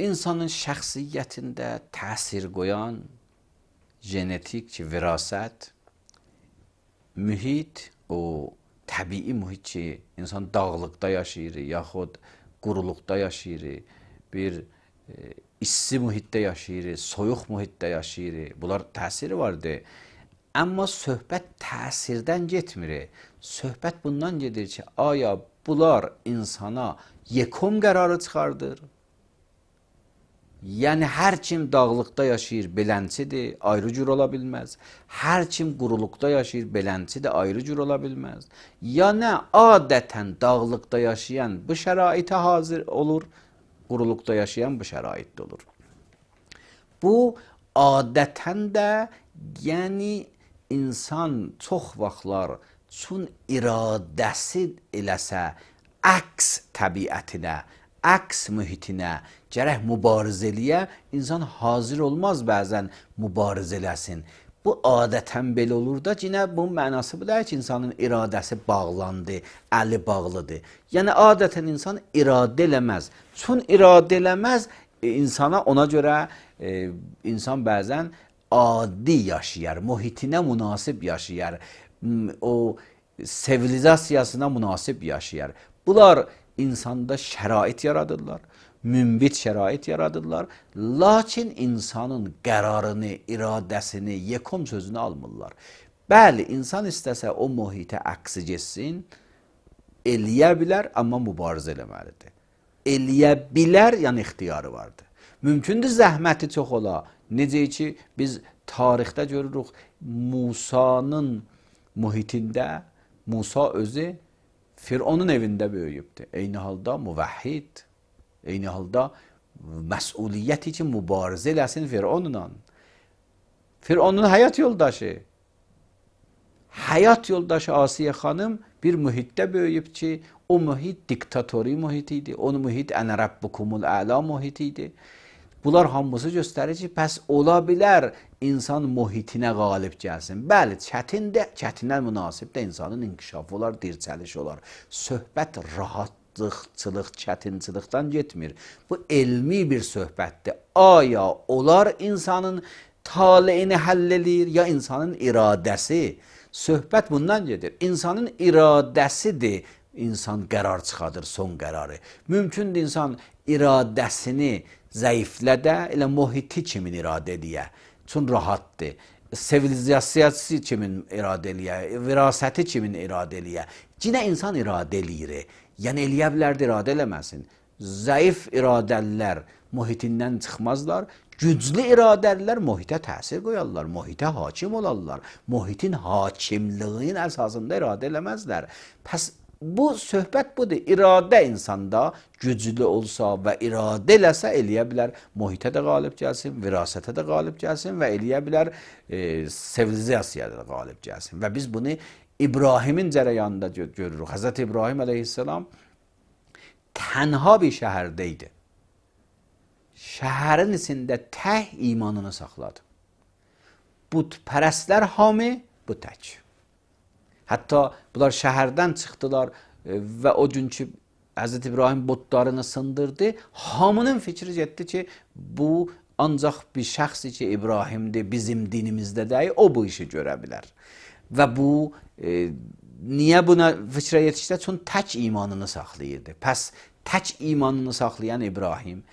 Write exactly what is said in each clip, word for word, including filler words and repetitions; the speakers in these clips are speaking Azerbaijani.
insanın şəxsiyyətində təsir qoyan genetik ki, virasət, mühit, o təbii mühit ki, insan dağlıqda yaşayır, yaxud quruluqda yaşayır, bir e, issi mühitdə yaşayır, soyuq mühitdə yaşayır. Bunlar təsiri vardır. Amma söhbət təsirdən getmir. Söhbət bundan gedir ki, aya bunlar insana yekom qərarı çıxardır. Yəni, hər kim dağlıqda yaşayır, belənçidir, ayrı cür ola bilməz. Hər kim quruluqda yaşayır, belənçidir, ayrı cür ola bilməz. Ya nə, adətən dağlıqda yaşayan bu şəraitə hazır olur, quruluqda yaşayan bu şəraitdə olur. Bu, adətən də, yəni, insan çox vaxtlar çün iradəsi eləsə, əks təbiətinə, əks mühitinə, gərək mübarizə eləyə, insan hazır olmaz bəzən mübarizə eləsin. Bu adətən belə olur da, yine bunun mənası bu deyil ki, insanın iradəsi bağlandı, əli bağlıdır. Yəni, adətən insan iradə eləməz. Çün iradə eləməz, insana ona görə e, insan bəzən adi yaşayar, mühitinə münasib yaşayar, o sivilizasiyasına münasib yaşayar. Bunlar insanda şərait yaradırlar, mümbit şərait yaradırlar, lakin insanın qərarını, iradəsini, yekom sözünü almırlar. Bəli, insan istəsə o mühitə əksi geçsin, eləyə bilər, amma mübarizə eləməlidir. Eləyə bilər, yəni ixtiyarı vardır. Mümkündür zəhməti çox ola. Necə ki, biz tarixdə görürük, Musanın mühitində, Musa özü Fironun evində böyüyübdür. Eyni halda müvəhhid, eyni halda məsuliyyət üçün mübarizə eləsin Fironla. Fironun həyat yoldaşı, həyat yoldaşı Asiyə xanım bir mühitdə böyüyüb ki, o mühit diktatori mühit idi, o mühit ənə rəbbukumul əla mühit idi. Bunlar hamısı göstərir ki, pəs ola bilər insan mühitinə qalib gəlsin. Bəli, çətindir, çətinə münasib də insanın inkişafı olar, dirçəliş olar. Söhbət rahatlıqçılıq, çətinçilikdən getmir. Bu elmi bir söhbətdir. Aya olar insanın taleyini həll edir, ya insanın iradəsi. Söhbət bundan gedir. İnsanın iradəsidir, insan qərar çıxadır, son qərarı. Mümkündür insan iradəsini zəiflədə, elə mühiti kimin iradə ediyə. Çün rahatdır. Sivilizasiyası kimin iradə eləyə, virasəti kimin iradə eləyə. Cinə insan iradə eləyir. Yəni eləyə bilər də iradə eləməsin. Zəif iradəlilər mühitindən çıxmazlar. Güclü iradəlilər mühitə təsir qoyarlar, mühitə hakim olarlar. Mühitin hakimliyinin əsasında iradə eləməzlər. Pəs bu söhbət budur. İradə insanda güclü olsa və iradə eləsə eləyə bilər, mühitə də qalib gəlsin, virasətə də qalib gəlsin və eləyə bilər e, sivilizasiyada da qalib gəlsin. Və biz bunu İbrahimin cərəyanında görürük. Həzrət İbrahim əleyhisselam tənha bir şəhərdə idi. Şəhərin içində təh imanını saxladı. Bütpərəstlər hamı bu tək. Hətta bunlar şəhərdən çıxdılar və o günkü Həzrət İbrahim butlarını sındırdı. Hamının fikri getdi ki, bu ancaq bir şəxs ki, İbrahimdir, bizim dinimizdə deyil, o bu işi görə bilər. Və bu, e, niyə buna fikrə yetişdi? Çünki tək imanını saxlayırdı. Pəs tək imanını saxlayan İbrahim,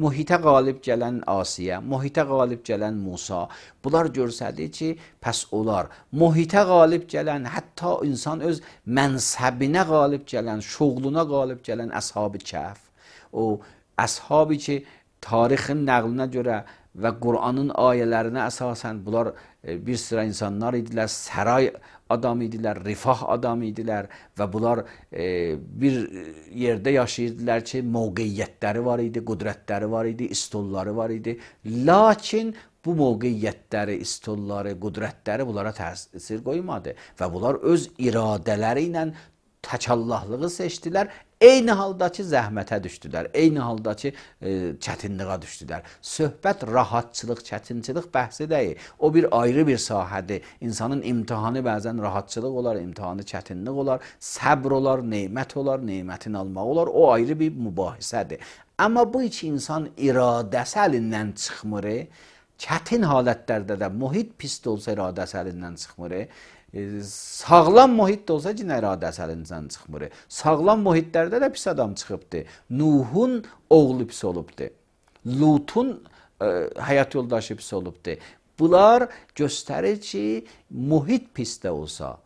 mühitə qalib gələn Asiyə, mühitə qalib gələn Musa, bunlar görsədir ki, pəs olar. Mühitə qalib gələn, hətta insan öz mənsəbinə qalib gələn, şoğluna qalib gələn Əshab-ı Kəhf, o əshab-ı ki, tarixin nəqlinə görə və Qur'anın ayələrinə əsasən bunlar bir sıra insanlar idilər, səray adam idilər, rifah adam idilər və bunlar e, bir yerdə yaşayırdılar ki, mövqeyyətləri var idi, qudrətləri var idi, istolları var idi. Lakin bu mövqeyyətləri, istolları, qudrətləri bunlara təsir qoymadı və bunlar öz iradələri ilə təkallahlığı seçdilər. Eyni haldakı zəhmətə düşdülər, eyni haldakı e, çətinliğə düşdülər. Söhbət rahatçılıq, çətinçilik bəhsi deyil. O bir ayrı bir sahədir. İnsanın imtihanı bəzən rahatçılıq olar, imtihanı çətinlik olar, səbr olar, neymət olar, neymətin almaq olar. O ayrı bir mübahisədir. Amma bu iki insan iradəsi əlindən çıxmır. Çətin halətlərdə də mühit pis də olsa iradəsi əlindən çıxmır. E, sağlam mühit də olsa yenə iradəsi əlindən çıxmır. Sağlam mühitlərdə də pis adam çıxıbdı. Nuhun oğlu pis olubdu. Lutun e, həyat yoldaşı pis olubdu. Bunlar göstərir ki, mühit pis də olsa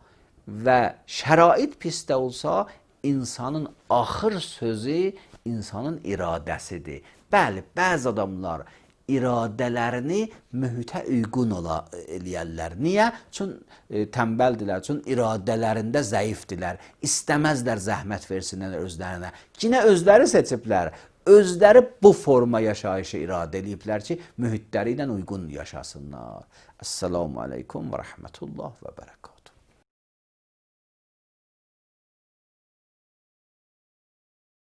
və şərait pis də olsa, insanın axır sözü insanın iradəsidir. Bəli, bəzi adamlar iradələrini mühitə uyğun ola eləyərlər. Niyə? Çünki e, tənbəldilər, çünki iradələrində zəifdirlər. İstəməzlər zəhmət versinlər özlərinə. Yenə özləri seçiblər. Özləri bu forma yaşayışı iradə ediblər ki, mühitləri ilə uyğun yaşasınlar. Esselamu aleykum və rəhmətullah və bərəkət.